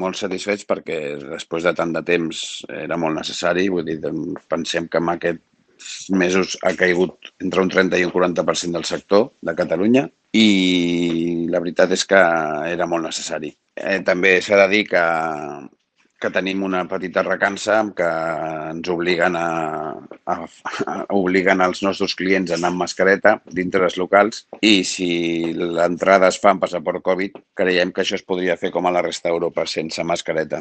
molt satisfets perquè després de tant de temps era molt necessari. Vull dir, pensem que en aquests mesos ha caigut entre un 30 i un 40% del sector de Catalunya i la veritat és que era molt necessari. També s'ha de dir que tenim una petita recança que ens obliguen els nostres clients a anar amb mascareta dintre dels locals i si l'entrada es fa amb passaport Covid, creiem que això es podria fer com a la resta d'Europa sense mascareta.